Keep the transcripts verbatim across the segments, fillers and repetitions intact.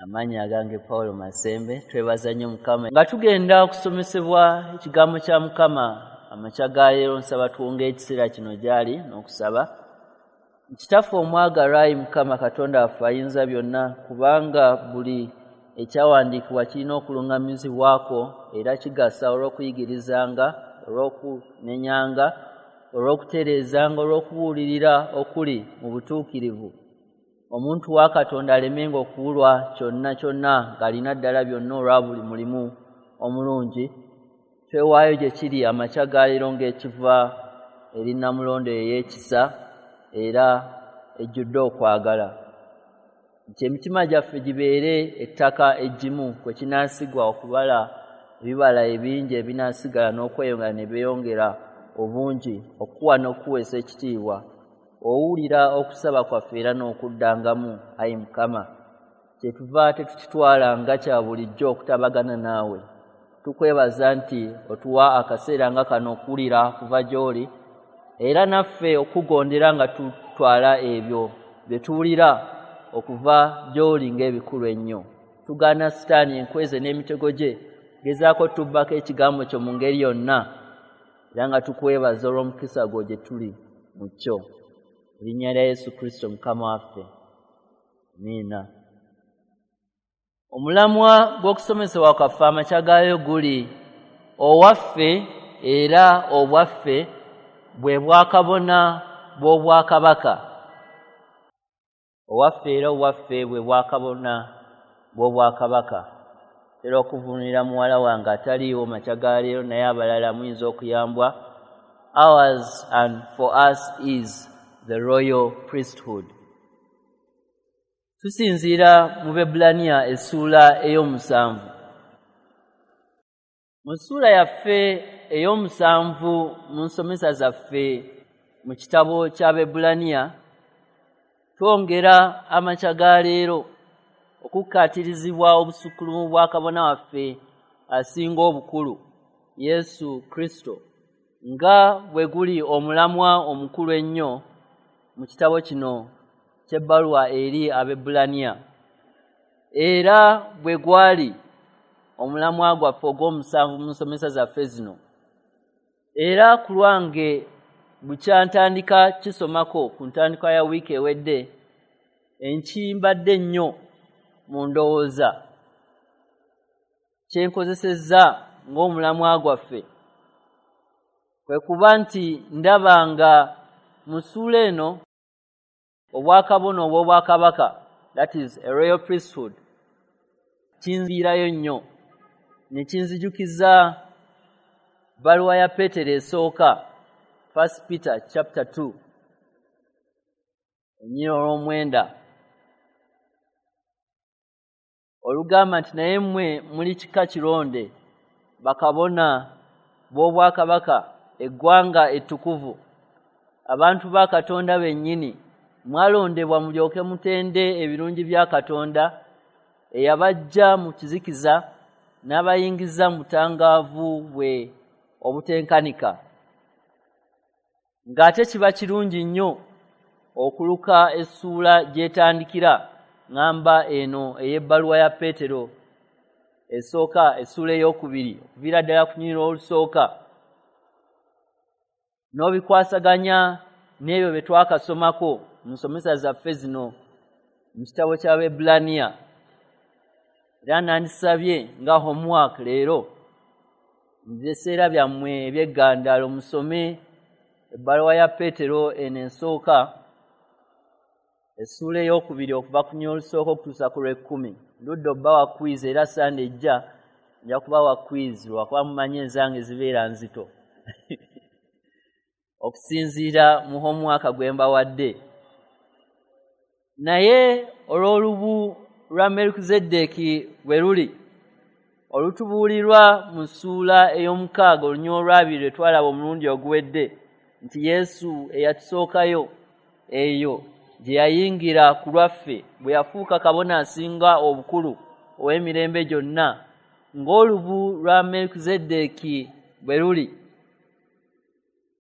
Amannya agange Paulo Masembe. Twebaza nnyo Mukama. Nga tugenda okusomesebwa ekigambo kya Mukama amakya ga leero, nsaba tuwonge ekiseera kino gy'ali n'okusaba. Kitaffe omwagalwa, ayi Mukama Katonda waffe ayinza byonna, kubanga buli ekyawandiikibwa kirina okuluŋŋamizibwako era kigasa olw'okuyigirizanga, olw'okunenyanga, olw'okutereezanga, olw'okubuulirira okuli mu butuukirivu. Omuntu wa Katonda alemenga okubulwa kyonna kyonna ng'alina ddala byonna olwa buli mulimu omulungi. Twewaayo gye kiri amakya ga leero ng'ekiva eri Nnamulondo ey'ekisa era ejjudde okwagala, nti emitima gyaffe gibeere ettaka eggimu kwe kinaasigwa okubala ebibala ebingi ebinaasigala n'okweyongera ne byeyongera obungi, okuwa n'okuweesa ekitiibwa. Owulira okusaba kwaffe era n'okuddangamu, ayi Mukama. Kyetuva tetukitwala nga kya bulijjo okutabagana naawe. Tukwebaza nti otuwa akaseera nga kano okuwulira kuva gy'oli, era naffe okugondera nga tutwala ebyo bye tuwulira okuva gy'oli ng'ebikulu ennyo. Tugaana Sitaani enkweze n'emitego gye, gezaako tubbako ekigambo kyo mu ngeri yonna, era nga tukwebaza olw'omukisa gwo gye tuli mu kyo. Erinnya lya Yesu Kristo Mukama waffe. Amiina. Omulamwa gw'okusomesebwa kwaffe amakya gaayo guli owaffe era obwaffe bwe bwakabona bw'obwakabaka. Owaffe era obwaffe bwe bwakabona bw'obwakabaka. Era okuvunulira muwala wange ataliiwo makya ga leero, naye abalala muyinza okuyambwa. Ours and for us is the royal priesthood. Tusinziira mu Baebbulaniya essuula ey'omusanvu. Mu ssuula yaffe ey'omusanvu mu nsomesa zaffe mu kitabo kya Baebbulaniya, twongera amakya ga leero okukkaatirizibwa obusukkulumu bwa kabona waffe asinga obukulu, Yesu Kristo, nga bwe guli omulamwa omukulu ennyo mu kitabo kino ky'ebbaluwa eri Abaebbulaniya, era bwe gwali omulamwa gwaffe ogw'omusanvu mu nsomesa zaffe zino. Era ku lwange bukyantandika kisomako ku ntandikwa ya wiiki ewedde, enkimbadde nnyo mu ndowooza kye nkozesezza ng'omulamwa gwaffe kwe kuba nti ndaba nga mu ssuula eno obwakabona obw'obwakabaka, that is a royal priesthood, kinziirayo nnyo ne kinzijukiza bbaluwa ya Peetero esooka, First Peter chapter two, olunyiriri olw'omwenda, olugamba nti naye mmwe muli kika kironde, bakabona b'obwakabaka, eggwanga ettukuvu, abantu ba Katonda bennyini, mwalondebwa mulyoke mutende ebirungi bya Katonda eyabaggya mu kizikiza n'abayingiza mu butangaavu bwe obutenkanika. Ng'ate kiba kirungi nnyo okuluka essuula gy'etandikira ŋŋamba eno ey'ebbaluwa ya Peetero esooka, essuula ey'okubiri, okuviira ddala ku lunyiriri olusooka, n'obikwasaganya n'ebyo bye twakasomako mu nsomesa zaffe zino mu kitabo ky'Abaebbulaniya. Era nandisabye nga homework leero mu biseera byammwe eby'eggandaalo musome ebbaluwa ya Peetero eno esooka, essuula ey'okubiri, okuva ku lunyiriri olusooka okutuusa ku lw'ekkumi. Ndudde obbawa quiz, era Sande ejja nja kubawa quiz lwakuba mumanyi enzange zibeera nzito okusinziira mu homework gwe mbawadde. Naye olw'olubu lwa Melukizeddeeki bwe luli olutubuulirwa mu ssuula ey'omukaaga olunyiriri olw'abiri lwe twalaba omulundi oguwedde, nti Yesu eyatusookayo eyo gye yayingira ku lwaffe bwe yafuuka kabona asinga obukulu ow'emirembe gyonna, ng'olubu lwa Melukizeddeeki bwe luli,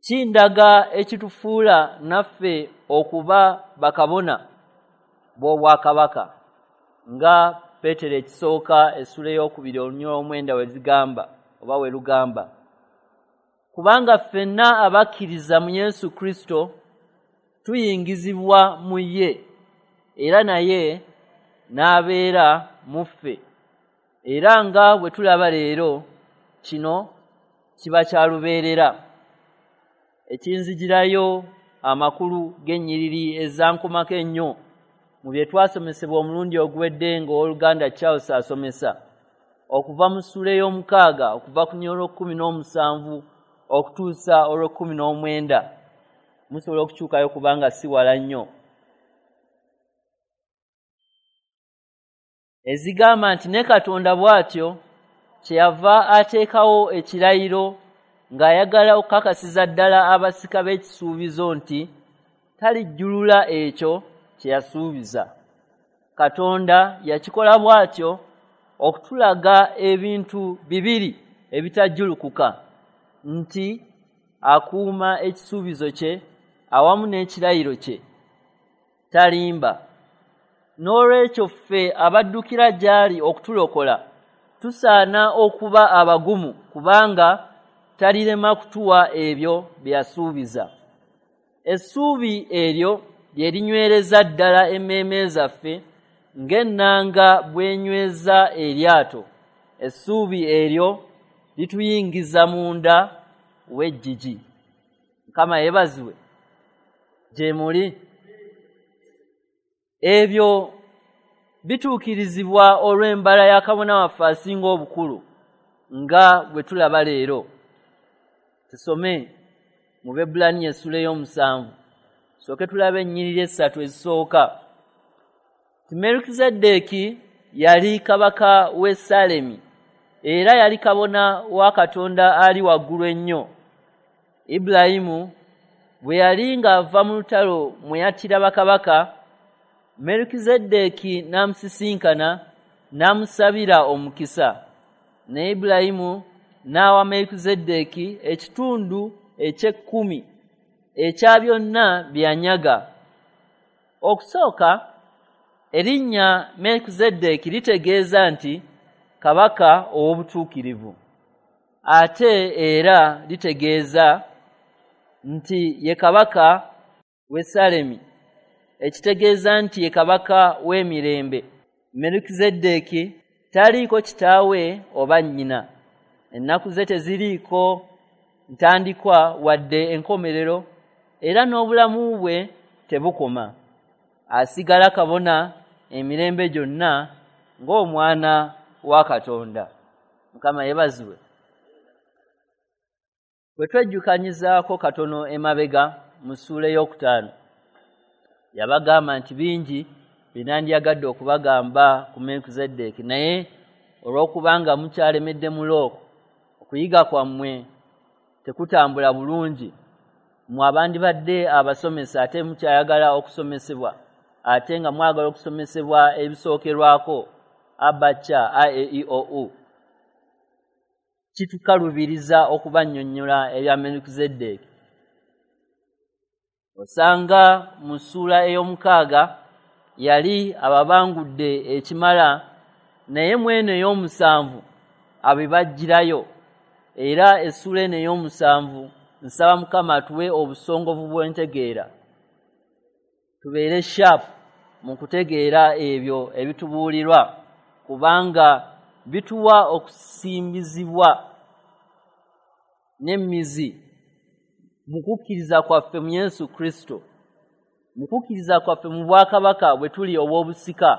kindaga ekitufuula naffe okuba bakabona b'obwakabaka nga Peetero ekisooka essula ey'okubiri olunyiriri olw'omwenda we zigamba oba we lugamba, kubanga ffenna abakkiriza mu Yesu Kristo tuyingizibwa mu ye, era naye n'abeera mu ffe. Era nga bwe tulaba leero, kino kiba kya lubeerera. Ekinzigirayo amakulu g'ennyiriri ezankomako ennyo mu bye twasomesebwa omulundi oguwedde ng'owooluganda Charles asomesa, okuva mu ssuula ey'omukaaga okuva ku lunyiriri olw'ekkumi n'omusanvu okutuusa olw'ekkumi n'omwenda. Musobola okukyukayo kubanga si wala nnyo. Ezigamba nti ne Katonda bw'atyo kyeyava ateekawo ekirayiro ng'ayagala okukakasiza ddala abasika b'ekisuubizo nti talijjulula ekyo kye yasuubiza. Katonda yakikola bw'atyo okutulaga ebintu bibiri ebitajjulukuka, nti akuuma ekisuubizo kye awamu n'ekirayiro kye, talimba. N'olwekyo ffe abaddukira gy'ali okutulokola tusaana okuba abagumu, kubanga talirema kutuwa ebyo bye yasuubiza. Essuubi eryo lye linywereza ddala emmeeme zaffe ng'ennanga bw'enyweza eryato. Essuubi eryo lituyingiza munda w'eggigi. Mukama yeebazibwe. Gye muli. Ebyo bituukirizibwa olw'embala ya kabona waffe asinga obukulu nga bwe tulaba leero. Tusome mu Baebbulaniya essula ey'omusanvu, tusooke tulabe ennyiriri essatu ezisooka. Merukizeddeeki yali kabaka w'e Salemi, era yali kabona wa Katonda ali waggulu ennyo. Ibulayimu bwe yali ng'ava mu lutalo mwe yattira bakabaka, Merukizeddeeki n'amusisinkana n'amusabira omukisa. Ne Ibulayimu n'awa Merukizeddeeki ekitundu eky'ekkumi ekya byonna bye yanyaga. Okusooka, erinnya Merukizeddeeki litegeeza nti kabaka ow'obutuukirivu, ate era litegeeza nti ye kabaka w'e Salemi, ekitegeeza nti ye kabaka w'emirembe. Merukizeddeeki taliiko kitaawe oba nnyina, ennaku ze teziriiko ntandikwa wadde enkomerero, era n'obulamu bwe tebukoma. Asigala kabona emirembe gyonna ng'omwana wa Katonda. Mukama yeebazibwe. Bwe twejjukanyizaako katono emabega mu ssuula ey'okutaano, yabagamba nti bingi bye nandyagadde okubagamba ku Merukizeddeeki, naye olw'okubanga mukyalemedde mu looko, okuyiga kwammwe tekutambula bulungi, mmwe abandibadde abasomesa ate mukyayagala okusomesebwa, ate nga mwagala okusomesebwa ebisookerwako abacha a e i o u, kitukalubiriza okubannyonnyola ebya Merukizeddeeki. Osanga mu ssuula ey'omukaaga yali ababangudde ekimala, naye mweno ey'omusanvu abibaggyirayo. Era essuula eno ey'omusanvu nsaba Mukama atuwe obusongovu bw'entegeera, tubeere sharp mu kutegeera ebyo ebitubuulirwa, kubanga bituwa okusimbizibwa n'emizi mu kukkiriza kwaffe mu Yesu Kristo, mu kukkiriza kwaffe mu bwakabaka bwe tuli obw'obusika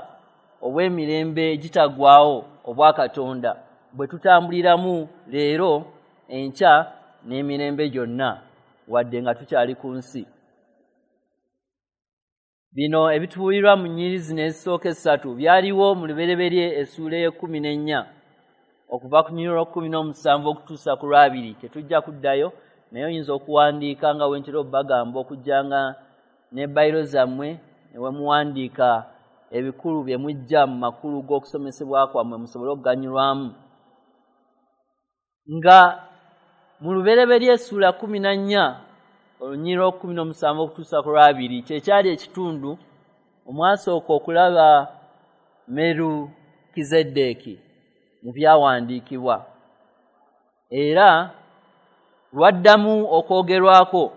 obw'emirembe egitaggwaawo obwa Katonda, bwe tutambuliramu leero, enkya n'emirembe gyonna, wadde nga tukyali ku nsi. Bino ebitubuulirwa mu nnyiriri zino ezisooka essatu byaliwo mu Lubereberye essuula ey'ekkumi n'ennya okuva ku lunyiriri olw'ekkumi n'omusanvu okutuusa ku lwabiri. Tetujja kuddayo, naye oyinza okuwandiika nga bwe ntera obbagamba, okujjanga ne bayiro zammwe ne we muwandiika ebikulu bye mujja mu makulu g'okusomesebwa kwammwe musobole okuganyulwamu. Nga mu Lubereberye essuula kkumi na nnya olunyiriri olw'ekkumi n'omusanvu okutuusa ku lwabiri kye kyali ekitundu omwasooka okulaba Merukizeddeeki mu byawandiikibwa, era lwaddamu okwogerwako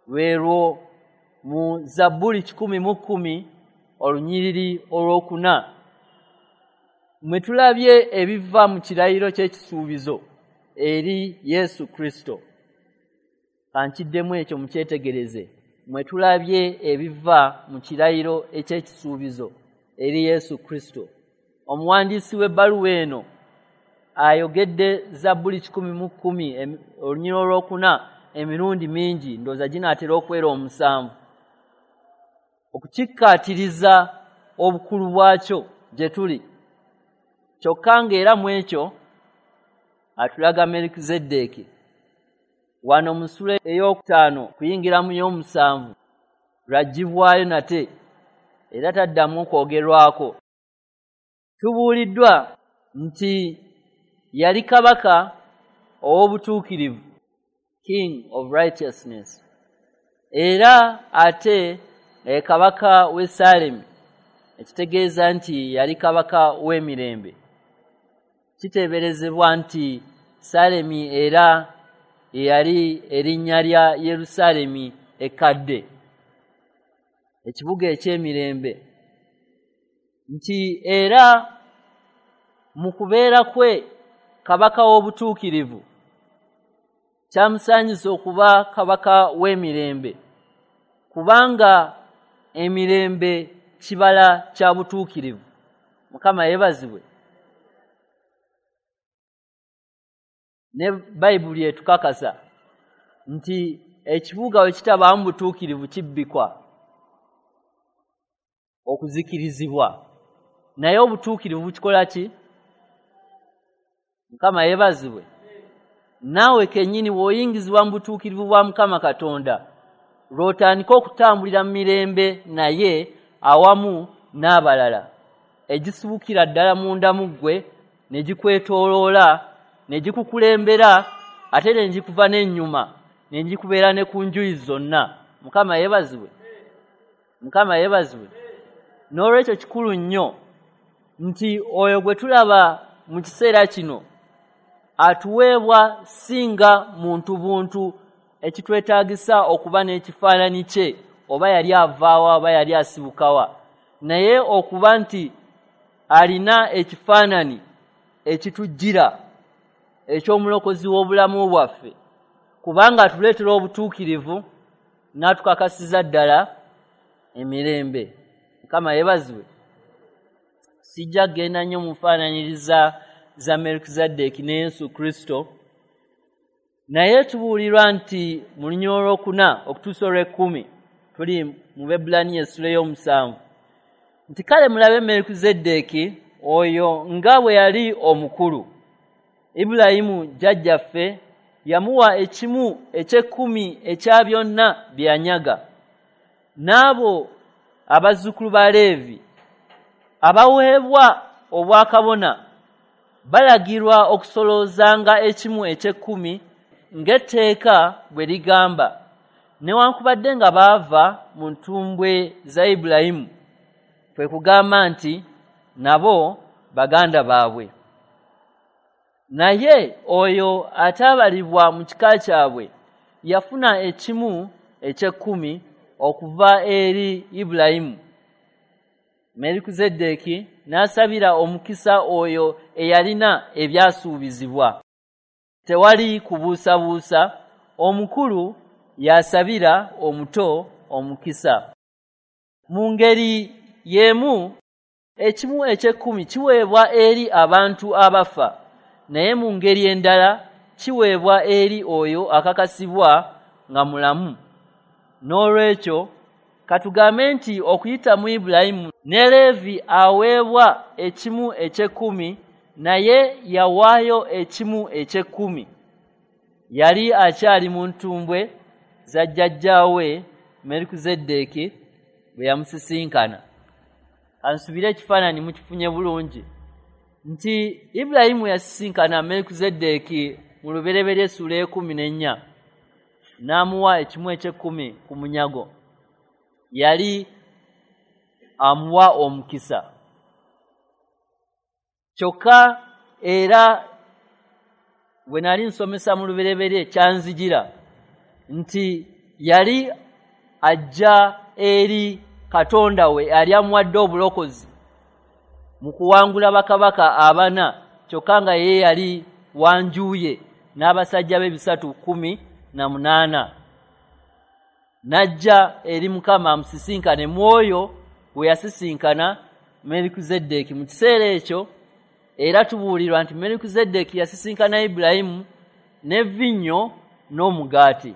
lwerwo mu Zabbuli kikumi mu kkumi olunyiriri olwokuna, mwe tulabye ebiva mu kirayiro ky'ekisuubizo eri Yesu Kristo. Kankiddemu ekyo mukyetegereze. Mwe tulabye ebiva mu kirayiro eky'ekisuubizo eri Yesu Kristo. Omuwandiisi w'ebbaluwa eno ayogedde Zabbuli kikumi mu kkumi olunyiriri olwokuna emirundi mingi, ndowooza ginaatera okwera omusanvu, okukikkaatiriza obukulu bwakyo gye tuli. Kyokka ng'era mu ekyo atulaga Merukizeddeeki. Wano mu ssula ey'okutaano kuyingira mu y'omusanvu lwaggyibwayo nate era taddamu kwogerwako. Tubuuliddwa nti yali kabaka ow'obutuukirivu, King of Righteousness, era ate ye kabaka w'e Salemi, ekitegeeza nti yali kabaka w'emirembe. Kiteeberezebwa nti Salemi era yali erinnya lya Yerusaalemi ekkadde, ekibuga eky'emirembe, nti era mu kubeera kwe kabaka w'obutuukirivu kyamusaanyisa okuba kabaka w'emirembe, kubanga emirembe kibala kya butuukirivu. Mukama yeebazibwe. Ne Bayibuli etukakasa nti ekibuga we kitabaamu butuukirivu kibbikwa okuzikirizibwa, naye obutuukirivu bukikola ki? Mukama yeebazibwe. Naawe kennyini bw'oyingizibwa mu butuukirivu bwa Mukama Katonda, lw'otandika okutambulira mu mirembe naye awamu n'abalala, egisibukira ddala munda mu ggwe ne gikwetooloola ne gikukulembera ate ne gikuva n'ennyuma ne gikubeera ne ku njuyi zonna. Mukama yeebazibwe. Mukama yeebazibwe. N'olwekyo kikulu nnyo nti oyo gwe tulaba mu kiseera kino atuweebwa singa muntu buntu ekitwetaagisa okuba n'ekifaananyi kye, oba yali avaawa oba yali asibukawa, naye okuba nti alina ekifaananyi ekitujjira eky'omulokozi w'obulamu bwaffe, kubanga atuleetera obutuukirivu n'atukakasiza ddala emirembe. Mukama yeebazibwe. Sijja kugenda nnyo mu nfaananyiriza za Merukizeddeeki ne Yesu Kristo, naye tubuulirwa nti mu lunyiriri olwokuna okutuusa olw'ekkumi, tuli mu Baebbulaniya essula ey'omusanvu, nti kale mulabe Merukizeddeeki oyo nga bwe yali omukulu. Ibulayimu jjajjaffe yamuwa ekimu eky'ekkumi ekya byonna bye yanyaga. N'abo abazzukulu ba Leevi abaweebwa obwakabona balagirwa okusoloozanga ekimu eky'ekkumi ng'etteeka bwe ligamba, newankubadde nga baava mu ntumbwe za Ibulayimu, kwe kugamba nti nabo baganda baabwe. Naye oyo ataabalibwa mu kika kyabwe yafuna ekimu eky'ekkumi okuva eri Ibulayimu. Merukizeddeeki n'asabira omukisa oyo eyalina ebyasuubizibwa. Tewali kubuusabuusa, omukulu yasabira omuto omukisa. Mu ngeri y'emu, ekimu eky'ekkumi kiweebwa eri abantu abafa, naye mu ngeri endala kiweebwa eri oyo akakasibwa nga mulamu. N'olwekyo katugambe nti okuyita mu Ibulayimu ne Leevi aweebwa ekimu eky'ekkumi, naye yawaayo ekimu eky'ekkumi. Yali akyali mu ntumbwe za jjajjaawe Merukizeddeeki bwe yamusisinkana. Kansubire ekifaananyi mukifunye bulungi nti Ibulayimu yasisinkana Merukizeddeeki mu Lubereberye essula ekkumi n'ennya, n'amuwa ekimu eky'ekkumi ku munyago. Yali amuwa omukisa. Kyokka era bwe nali nsomesa mu lubereberye kyanzijira nti yali ajja eri Katonda we ali amuwadde obulokozi mu kuwangula bakabaka abana, kyokka nga ye yali wanjuye n'abasajja be bisatu kumi na munaana. Najja eri Mukama amusisinkane, mwoyo we yasisinkana Melikizedeki. Mu kiseera ekyo era tubuulirwa nti Melikizedeki yasisinkana Ibulayimu n'evinnyo n'omugaati.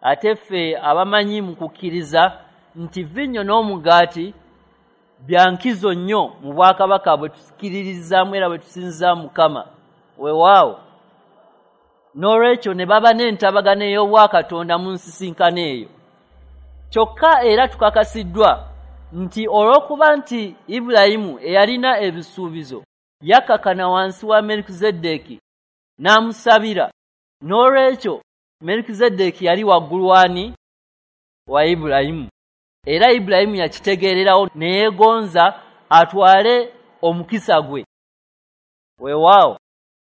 Ate ffe abamanyi mu kukkiriza nti vinnyo n'omugaati bya nkizo nnyo mu bwakabaka bwe tukkiririzaamu era bwe tusinzizaamu Mukama. Weewaawo. N'olwekyo ne baba n'entabagano ey'obwakatonda mu nsisinkano eyo. Kyokka era tukakasiddwa nti olw'okuba nti Ibulayimu eyalina ebisuubizo yakakana wansi wa Melikizedeki n'amusabira, n'olwekyo Melikizedeki yali waggulu wani wa Ibulayimu. Era Ibulayimu yakitegeererawo ne yeegonza atwale omukisa gwe. Weewaawo,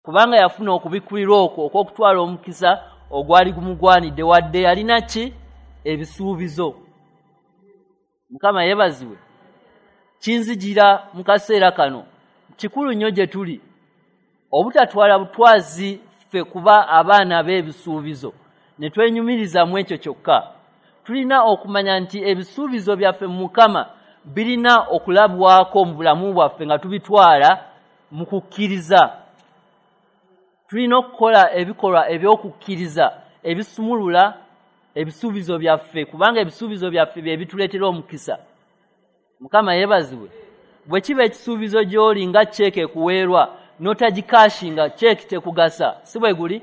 kubanga yafuna okubikkulirwa okwo okw'okutwala omukisa ogwali gumugwanidde, wadde yalina ki? Ebisuubizo. Mukama yeebazibwe. Kinzijira mu kaseera kano kikulu nnyo gye tuli obutatwala butwazi ffe kuba abaana b'ebisuubizo ne twenyumiriza mu ekyo kyokka. Tulina okumanya nti ebisuubizo byaffe mu Mukama birina okulabwako mu bulamu bwaffe nga tubitwala mu kukkiriza. Tulina okukola ebikolwa eby'okukkiriza ebisumulula ebisuubizo byaffe, kubanga ebisuubizo byaffe bye bituleetera omukisa. Mukama yeebazibwe. Bwe kiba ekisuubizo gy'oli nga ceeke ekuweerwa n'otagikashinga, ceeke tekugasa, si bwe guli?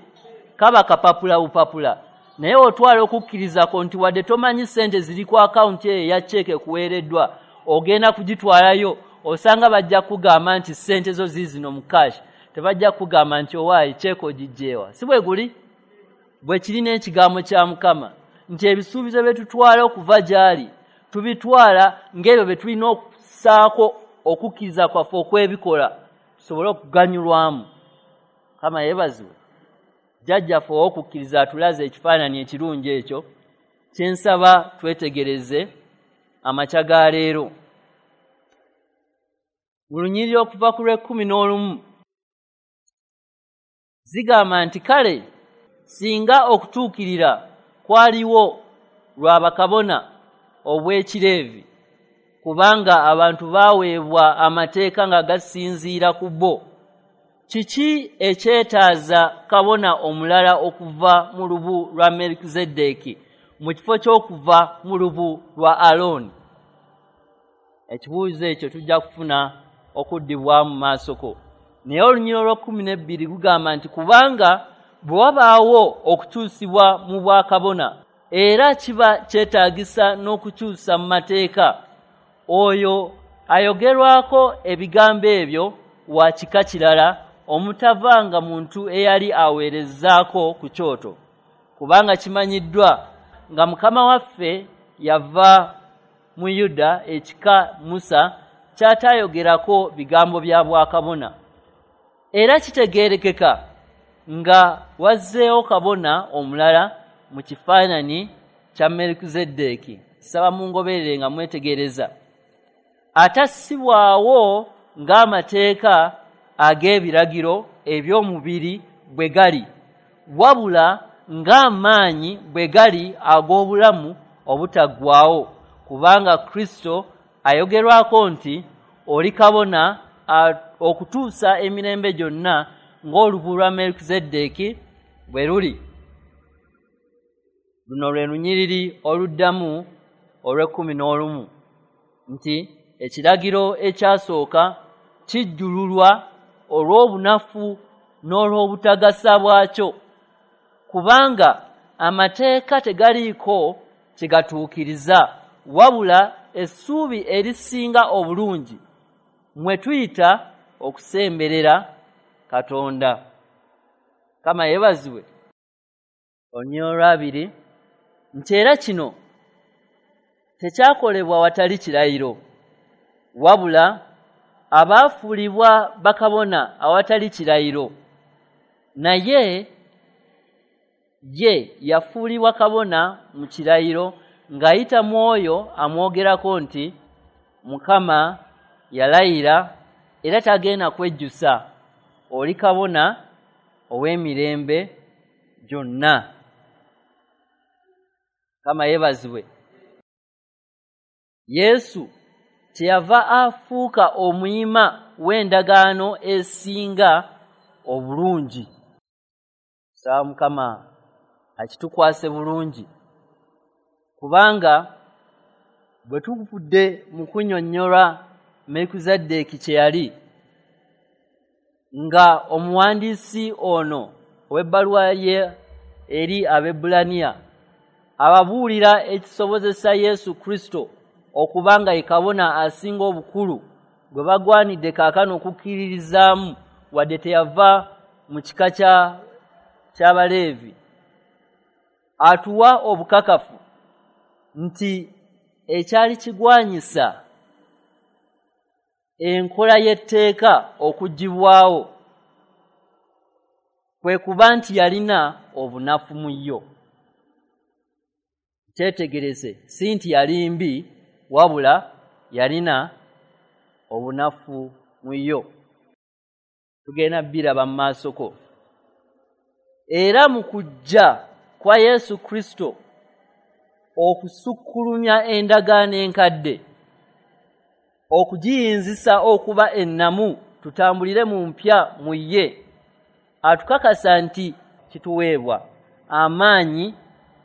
Kaba kapapula bupapula. Naye otwala okukkirizako nti wadde tomanyi ssente ziri ku akawunti eyo eya ceeke ekuweereddwa, ogenda kugitwalayo, osanga bajja kugamba nti ssente zo ziizino mu kashi, tebajja kugamba nti owaayi ceeke ogiggyewa, si bwe guli? Bwe kiri n'ekigambo kya Mukama nti ebisuubizo bye tutwala okuva gy'ali tubitwala ng'ebyo bye tulina okussaako okukkiriza kwaffe okw'ebikola tusobole okuganyulwamu. Mukama yeebazibwe. Jjajjaffe ow'okukkiriza atulaze ekifaananyi ekirungi ekyo kye nsaba twetegereze amakya ga leero. Mu lunyiriri okuva ku lw'ekkumi n'olumu zigamba nti kale singa okutuukirira kwaliwo lwa bakabona obw'ekireevi, kubanga abantu baaweebwa amateeka nga gasinziira ku bo, kiki ekyetaaza kabona omulala okuva mu lubu lwa Melikizedeki mu kifo ky'okuva mu lubu lwa Alooni? Ekibuuzo ekyo tujja kufuna okuddibwamu mu maasoko. Naye olunyiriri olw'ekkumi n'ebbiri gugamba nti kubanga bwe wabaawo okukyusibwa mu bwakabona, era kiba kyetaagisa n'okukyusa mu mateeka, oyo ayogerwako ebigambo ebyo wa kika kirala omutavanga muntu eyali aweerezaako ku kyoto, kubanga kimanyiddwa nga Mukama waffe yava mu Yuda, ekika Musa ky'ataayogerako bigambo bya bwakabona. Era kitegeerekeka nga wazzeewo kabona omulala mu kifaananyi kya Melikizedeki. Saba mungoberere nga mwetegereza. Atassibwawo ng'amateeka ag'ebiragiro eby'omubiri bwe gali, wabula ng'amaanyi bwe gali ag'obulamu obutaggwaawo, kubanga Kristo ayogerwako nti oli kabona okutuusa emirembe gyonna ng'olubu lwa Melikizedeki bwe luli. Luno lwe lunyiriri oluddamu olw'ekkumi n'olumu nti ekiragiro ekyasooka kijjululwa olw'obunafu n'olw'obutagasa bwakyo, kubanga amateeka tegaliiko kye gatuukiriza, wabula essuubi erisinga obulungi mwe tuyita okusemberera Katonda. Kama yeebazibwe. Olunyiriri olwabiri nti era kino tekyakolebwa watali kirayiro, wabula Abaafuulibwa bakabona awatali kirayiro, naye ye yafuulibwa kabona mu kirayiro ng'ayita mu oyo amwogerako nti Mukama yalayira era tagenda kwejjusa, oli kabona ow'emirembe gyonna. Mukama yeebazibwe. Yesu kyeyava afuuka omuyima w'endagaano esinga obulungi. Saba Mukama akitukwase bulungi, kubanga bwe tuvudde mu kunnyonnyola Merukizaddeeki kye yali, nga omuwandiisi ono ow'ebbaluwa ye eri Abaebbulaniya ababuulira ekisobozesa Yesu Kristo okuba nga ye kabona asinga obukulu gwe bagwanidde kaakano okukkiririzaamu, wadde teyava mu kika kya ky'Abaleevi. Atuwa obukakafu nti ekyali kigwanyisa enkola y'etteeka okugibwawo kwe kuba nti yalina obunafu mu yo. Kyetegereze, si nti yali mbi, wabula yalina obunafu mu yo. Tugenda biraba mu maasoko. Era mu kujja kwa Yesu Kristo okusukkulumya endagaano enkadde, okugiyinzisa okuba ennamu tutambulire mu mpya mu ye, atukakasa nti kituweebwa amaanyi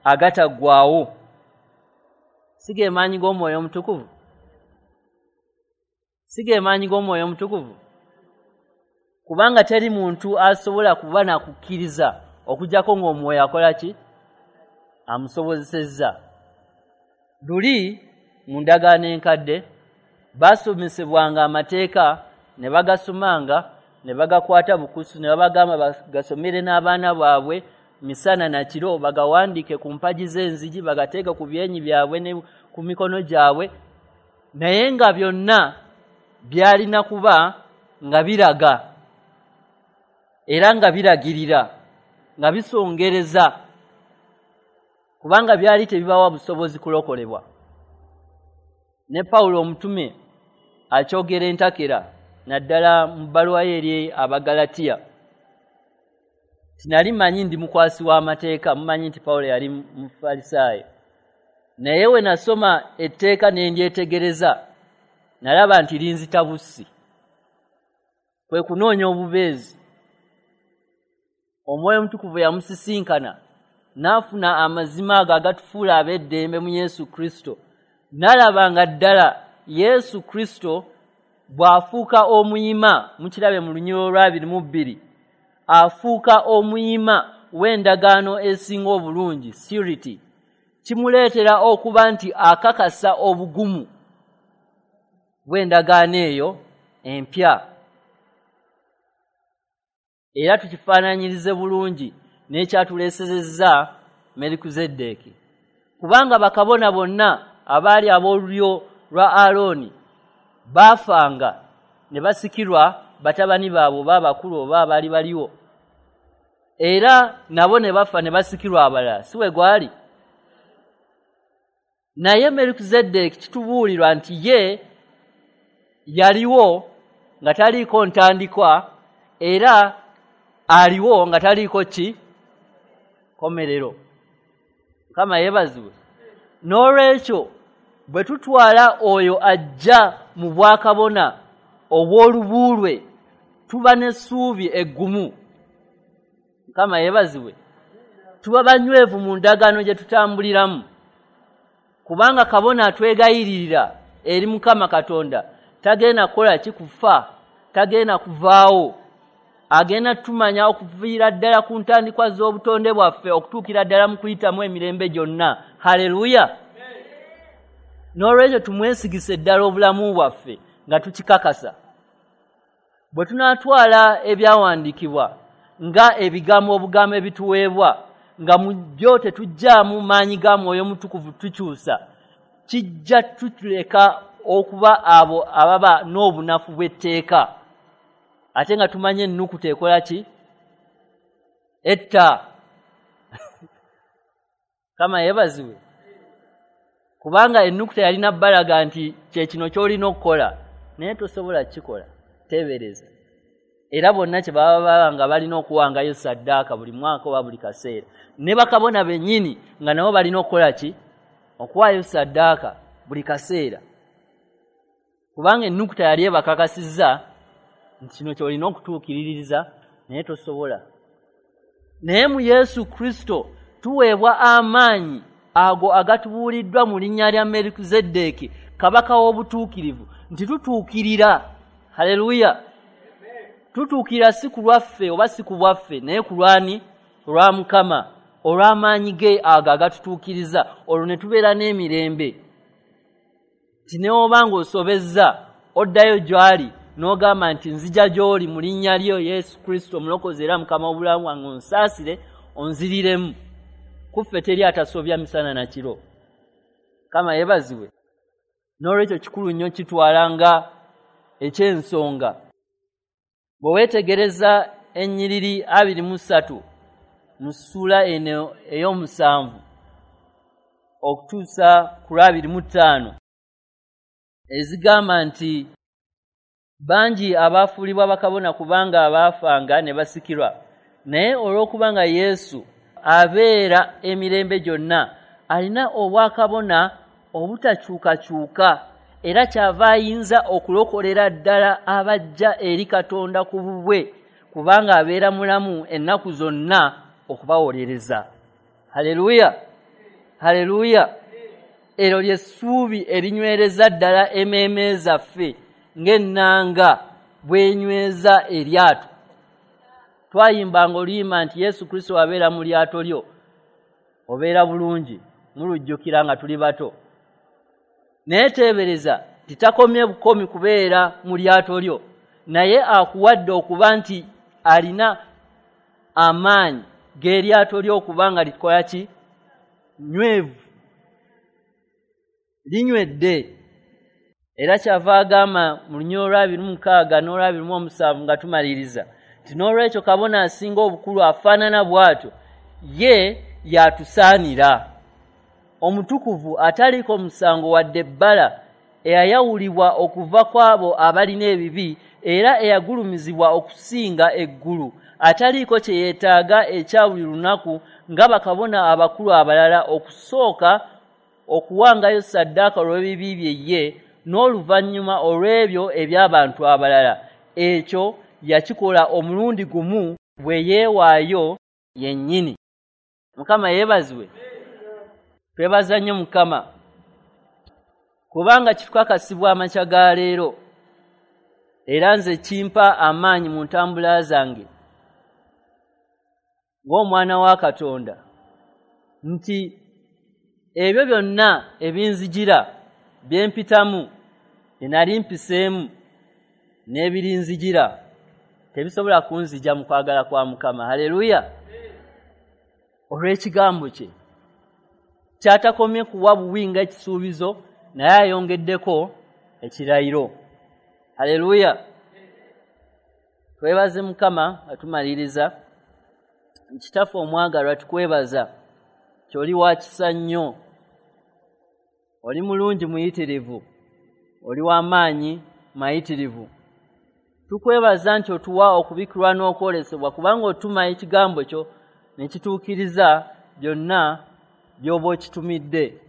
agataggwaawo. Si ge maanyi g'Omwoyo Omutukuvu? Si ge maanyi g'Omwoyo Omutukuvu? Kubanga teri muntu asobola kuba na kukkiriza okuggyako ng'Omwoyo akola ki? Amusobozesezza. Luli mu ndagaano enkadde baasomesebwanga amateeka ne bagasomanga ne bagakwata bukusu, ne babagamba bagasomere n'abaana baabwe misana na kiro, bagawandiike ku mpagi z'enzigi, bagateeke ku byenyi byabwe ne ku mikono gyabwe, naye nga byonna byalina kuba nga biraga era nga biragirira, nga bisongereza, kubanga byali tebibawa busobozi kulokolebwa. Ne Pawulo omutume akyogera entakera naddala mu bbaluwa ye eri Abagalatiya. Tinali manyi ndi mukwasi w'amateeka, mumanyi nti Pawulo yali Mufalisaayo, naye we nasoma etteeka ne ndyetegereza, nalaba nti linzita bussi, kwe kunoonya obubeezi. Omwoyo Omutukuvu yamusisinkana n'afuna amazima ago agatufuula ab'eddembe mu Yesu Kristo. N'alaba nga ddala Yesu Kristo bw'afuuka omuyima, mukirabe mu lunyiriri lwa abiri mu bbiri, afuuka omuyima w'endagaano esinga obulungi, surety, kimuleetera okuba nti akakasa obugumu bw'endagaano eyo empya. Era tukifaananyirize bulungi n'ekyatuleesezza Merukizeddeeki, kubanga bakabona bonna abaali ab'olulyo lwa Alooni baafanga ne basikirwa batabani baabwe oba abakulu oba abaali baliwo, era nabo ne bafa ne basikirwa abalala, si we gwali? Naye Merukizeddeeki kitubuulirwa nti ye yaliwo nga taliiko ntandikwa, era aliwo nga taliiko ki? Komerero. Mukama yeebazibwe. N'olwekyo bwe tutwala oyo ajja mu bwakabona obw'olubuulwe, tuba n'essuubi eggumu. Mukama yeebazibwe. Tuba banywevu mu ndagaano gye tutambuliramu, kubanga kabona atwegayiririra eri Mukama Katonda tagenda kukola ki? Kufa, tagenda kuvaawo. Agenda tumanya okuviira ddala ku ntandikwa z'obutonde bwaffe okutuukira ddala mu kuyitamu emirembe gyonna. Haleluya! N'olwekyo tumwesigise ddala obulamu bwaffe nga tukikakasa. Bwe tunaatwala ebyawandiikibwa nga ebigambo obugambo ebituweebwa, nga mu byo tetuggyaamu maanyi ga Mwoyo Mutukuvu tukyusa, kijja tutuleka okuba abo ababa n'obunafu bw'etteeka, ate nga tumanye ennukuta ekola ki? Etta. Kama yeebazibwe, kubanga ennukuta yalina bbalaga nti kye kino ky'olina okukola, naye tosobola kukikola. Teebereza. Era bonna kye baba baba nga balina okuwangayo saddaaka buli mwaka oba buli kaseera, ne bakabona bennyini nga nabo balina okukola ki? Okuwaayo saddaaka buli kaseera, kubanga ennukuta yali ebakakasizza nti kino ky'olina okutuukiririza, naye tosobola. Naye mu Yesu Kristo tuweebwa amaanyi ago agatubuuliddwa mu linnya lya Merukizeddeeki, kabaka w'obutuukirivu, nti tutuukirira. Haleluya! Tutuukirira si ku lwaffe oba si ku bwaffe, naye ku lwani? Olwa Mukama, olw'amaanyi ge ago agatutuukiriza, olwo ne tubeera n'emirembe. Nti ne oba ng'osobezza, oddayo gy'ali n'ogamba nti nzija gy'oli mu linnya lyo Yesu Kristo omulokozi era Mukama w'obulamu bwange, onsaasire, onziriremu. Kuffe teri atasobya misana na kiro. Kama yeebazibwe. N'olwekyo kikulu nnyo kitwala nga eky'ensonga. Bwe weetegereza ennyiriri abiri mu ssatu mu ssuula eno ey'omusanvu okutuusa ku lwabiri mu ttaano, ezigamba nti bangi abaafuulibwa bakabona kubanga abaafanga ne basikirwa, naye olw'okubanga Yesu abeera emirembe gyonna, alina obwakabona obutakyukakyuka, era kyava ayinza okulokolera ddala abajja eri Katonda ku bubwe, kubanga abeera mulamu ennaku zonna okubawolereza. Haleluya! Haleluya! Eryo ly'essuubi erinywereza ddala emmeeme zaffe ng'ennanga bw'enyweza eryato. Twayimbanga oluyimba nti Yesu Kristo abeera mu lyato lyo, obeera bulungi, mulujjukira nga tuli bato. Naye teebereza nti takomye bukomi kubeera mu lyato lyo, naye akuwadde okuba nti alina amaanyi g'eryato lyo okuba nga likola ki? Nywevu, linywedde. Era kyava agamba mu lunyiriri olw'abiri mu mukaaga n'olwabiri mu omusanvu nga tumaliriza nti n'olwekyo kabona asinga obukulu afaanana bw'atyo ye yatusaanira, omutukuvu ataliiko musango wadde ebbala, eyayawulibwa okuva ku abo abalina ebibi, era eyagulumizibwa okusinga eggulu, ataliiko kye yeetaaga ekya buli lunaku nga bakabona abakulu abalala, okusooka okuwangayo ssaddaaka olw'ebibi bye ye, n'oluvannyuma olw'ebyo eby'abantu abalala. Ekyo yakikola omulundi gumu bwe yeewaayo yennyini. Mukama yeebazibwe. Twebaza nnyo Mukama, kubanga kitukakasibwa amakya ga leero, era nze kimpa amaanyi mu ntambula zange ng'omwana wa Katonda, nti ebyo byonna ebinzijira bye mpitamu, bye nali mpiseemu n'ebirinzijira, tebisobola kunzija mu kwagala kwa Mukama. Haleluya! Olw'ekigambo kye kyatakomye kuwa buwi nga ekisuubizo, naye ayongeddeko ekirayiro. Haleluya! Twebaze Mukama atumaliriza. Kitaffe omwagalwa, tukwebaza ky'oli wa kisa nnyo, oli mulungi muyitirivu, oli w'amaanyi mayitirivu. Tukwebaza nti otuwa okubikkulwa n'okwolesebwa, kubanga otuma ekigambo kyo ne kituukiriza byonna by'oba okitumidde.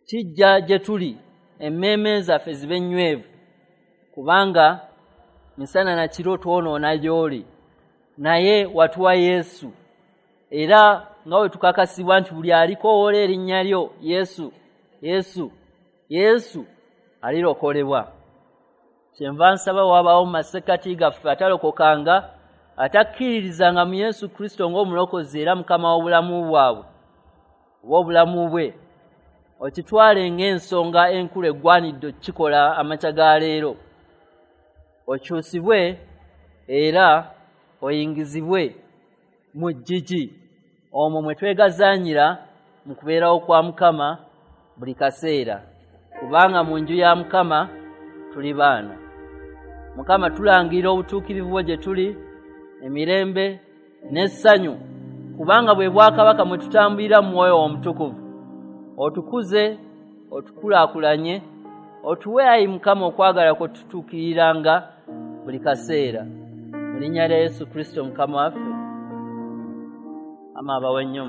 Kijja gye tuli, emmeeme zaffe zibe nnywevu, kubanga misana na kiro twonoona gy'oli, naye watuwa Yesu. Era nga bwe tukakasibwa nti buli alikoowoola erinnya lyo Yesu, Yesu, Yesu alirokolebwa. Kyenva nsaba wabaawo mu masekkati gaffe atalokokanga, atakkiririzanga mu Yesu Kristo ng'omulokozi era Mukama w'obulamu bwabwe oba obulamu bwe, okitwale ng'ensonga enkulu eggwanidde okukikola amakya ga leero, okyusibwe era oyingizibwe mu ggigi omwo mwe twegazaanyira mu kubeerawo kwa Mukama buli kaseera. Kubanga Kubanga mu nju ya Mukama tuli baana. Mukama, tulangirira obutuukirivu bwo gye tuli, emirembe n'essanyu, kubanga bwe bwakabaka mwe tutambulira mu mwoyo omutukuvu. Otukuze, otukulaakulanye, otuwe ayi Mukama okwagala kwe tutuukiriranga buli kaseera. Mu linnya lya Yesu Kristo Mukama waffe. Ama abawe nnyo.